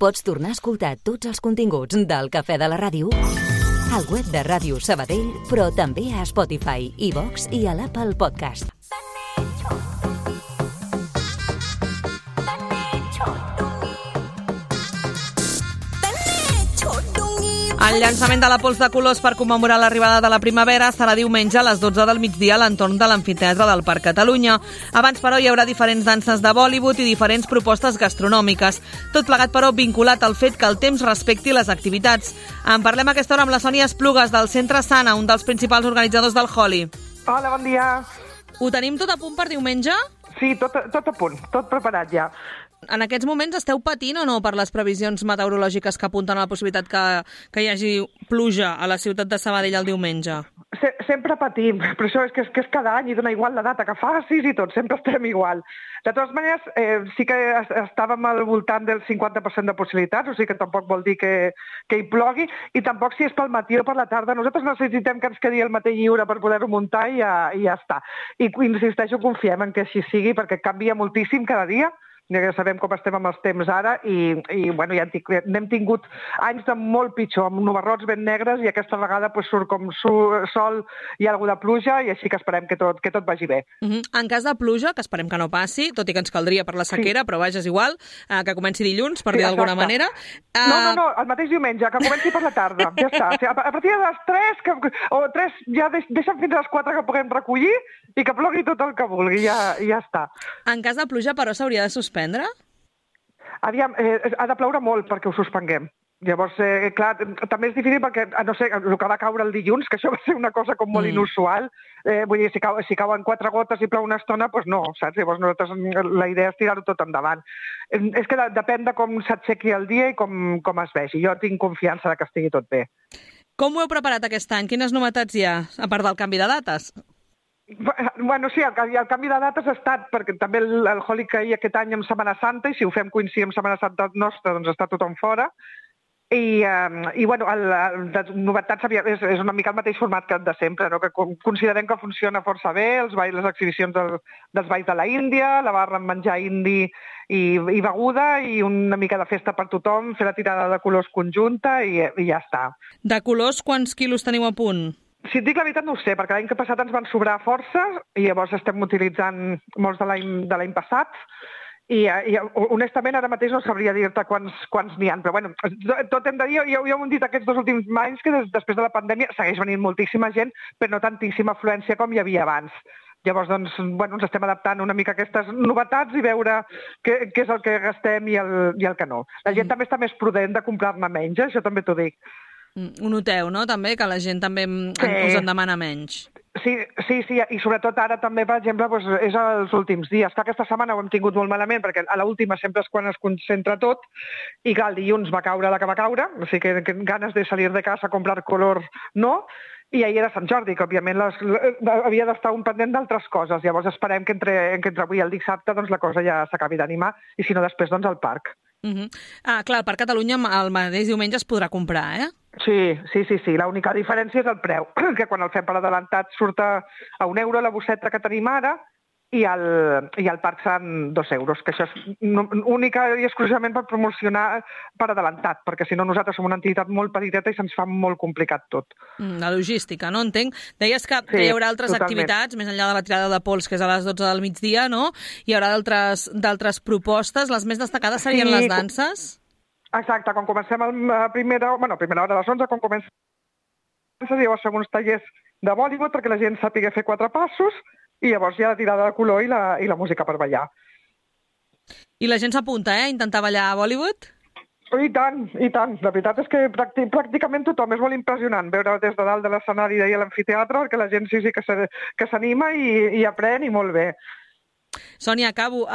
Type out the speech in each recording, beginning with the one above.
Pots tornar a escoltar tots els continguts del Cafè de la Ràdio al web de Ràdio Sabadell, però també a Spotify, iVox i a l'Apple Podcast. El llançament de la pols de colors per commemorar l'arribada de la primavera serà diumenge a les 12 del migdia a l'entorn de l'Amfiteatre del Parc Catalunya. Abans, però, hi haurà diferents danses de Bollywood i diferents propostes gastronòmiques. Tot plegat, però, vinculat al fet que el temps respecti les activitats. En parlem a aquesta hora amb la Sònia Esplugues, del Centre Sana, un dels principals organitzadors del Holi. Hola, bon dia. Ho tenim tot a punt per diumenge? Sí, tot a punt, tot preparat ja. En aquests moments esteu patint o no per les previsions meteorològiques que apunten a la possibilitat que hi hagi pluja a la ciutat de Sabadell el diumenge? Sempre patim, però això és que és cada any i dona igual la data que facis i tot, sempre estem igual. De totes maneres, sí que estàvem al voltant del 50% de possibilitats, o sigui que tampoc vol dir que hi plogui, i tampoc si és pel matí o per la tarda. Nosaltres necessitem que ens quedi el matí lliure per poder-ho muntar i ja està. I insisteixo, confiem en que així sigui, perquè canvia moltíssim cada dia. Ja sabem com estem amb els temps ara i bueno, ja n'hem tingut anys de molt pitjor, amb nubarrots ben negres i aquesta vegada surt com sol i alguna de pluja i així que esperem que tot vagi bé. En cas de pluja, que esperem que no passi, tot i que ens caldria per la sequera, però vaja, és igual, que comenci dilluns, per dir d'alguna manera. No, el mateix diumenge, que comenci per la tarda, ja està. O sigui, a partir de les 3, ja deixen fins a les 4 que puguem recollir i que plogui tot el que vulgui, ja està. En cas de pluja, però, s'hauria de suspendre? Aviam, ha de ploure molt perquè ho suspenguem. Llavors, clar, també és difícil perquè, a no ser el que va caure el dilluns, que això va ser una cosa com molt inusual, vull dir, si cauen 4 gotes i plou una estona, doncs no, saps? Llavors nosaltres la idea és tirar-ho tot endavant. És que depèn de com s'aixequi el dia i com es vegi. Jo tinc confiança que estigui tot bé. Com ho heu preparat aquest any? Quines novetats hi ha, a part del canvi de dates? Bueno, sí, el canvi de dates ha estat, perquè també el Holi caia aquest any en Setmana Santa, i si ho fem coincidir amb Setmana Santa nostra, doncs està tothom fora. I bueno, les novetats és una mica el mateix format que de sempre, no? Que considerem que funciona força bé, les exhibicions dels balls de la Índia, la barra amb menjar indi i beguda, i una mica de festa per tothom, fer la tirada de colors conjunta i ja està. De colors, quants quilos teniu a punt? Si et dic la veritat no ho sé, perquè l'any que passat ens van sobrar força i llavors estem utilitzant molts de l'any passat i honestament ara mateix no sabria dir-te quants n'hi ha, però bueno, tot hem de dir, ja ho hem dit aquests 2 últims anys que després de la pandèmia segueix venint moltíssima gent, però no tantíssima afluència com hi havia abans. Llavors, doncs, bueno, ens estem adaptant una mica a aquestes novetats i veure què és el que gastem i el que no. La gent també està més prudent de comprar-ne menys, això també t'ho dic. Ho noteu, no?, també, que la gent també us en demana menys. Sí, i sobretot ara també, per exemple, és els últims dies. Que aquesta setmana ho hem tingut molt malament, perquè a l'última sempre és quan es concentra tot, i clar, el dilluns va caure la que va caure, o sigui que ganes de salir de casa a comprar color no, i ahir era Sant Jordi, que òbviament havia d'estar un pendent d'altres coses. Llavors esperem que entre avui i el dissabte doncs, la cosa ja s'acabi d'animar, i si no després doncs al parc. Clar, al Parc Catalunya el mateix diumenge es podrà comprar, eh? Sí. L'única diferència és el preu, que quan el fem per adelantat surt a €1 la bosseta que tenim ara i al parc seran €2, que això és única i exclusivament per promocionar per adelantat, perquè si no nosaltres som una entitat molt petiteta i se'ns fa molt complicat tot. La logística, no? Entenc. Deies que hi haurà altres activitats, més enllà de la tirada de pols, que és a les 12 del migdia, no? Hi haurà d'altres propostes. Les més destacades serien les danses? Exacte, quan comencem a primera hora a les 11, quan comencem llavors fem uns tallers de Bollywood perquè la gent sàpiga fer 4 passos i llavors hi ha la tirada de color i la música per ballar. I la gent s'apunta, a intentar ballar a Bollywood? I tant. La veritat és que pràcticament tothom. És molt impressionant veure des de dalt de l'escenari d'ahir a l'amfiteatre, perquè la gent sí que s'anima i aprèn i molt bé. Sònia, acabo.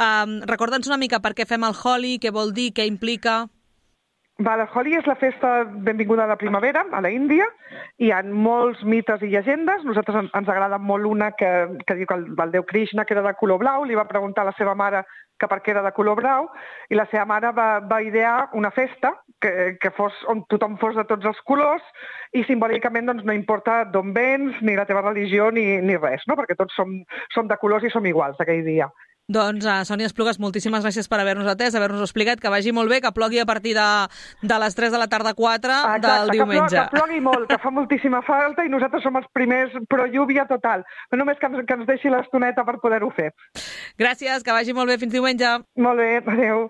Recorda'ns una mica per què fem el Holi, què vol dir, què implica... El Holi és la festa benvinguda a la primavera, a la Índia. Hi ha molts mites i llegendes. Nosaltres ens agrada molt una que diu que el déu Krishna, que era de color blau, li va preguntar a la seva mare que per què era de color blau, i la seva mare va idear una festa que fos on tothom fos de tots els colors i simbòlicament doncs, no importa d'on vens, ni la teva religió, ni res, no? Perquè tots som de colors i som iguals aquell dia. Doncs, Sònia Esplugues, moltíssimes gràcies per haver-nos atès, haver-nos explicat, que vagi molt bé, que plogui a partir de les 3 de la tarda 4 del diumenge. Que plogui molt, que fa moltíssima falta i nosaltres som els primers pro lluvia total. Però només que ens deixi l'estoneta per poder-ho fer. Gràcies, que vagi molt bé, fins diumenge. Molt bé, adeu.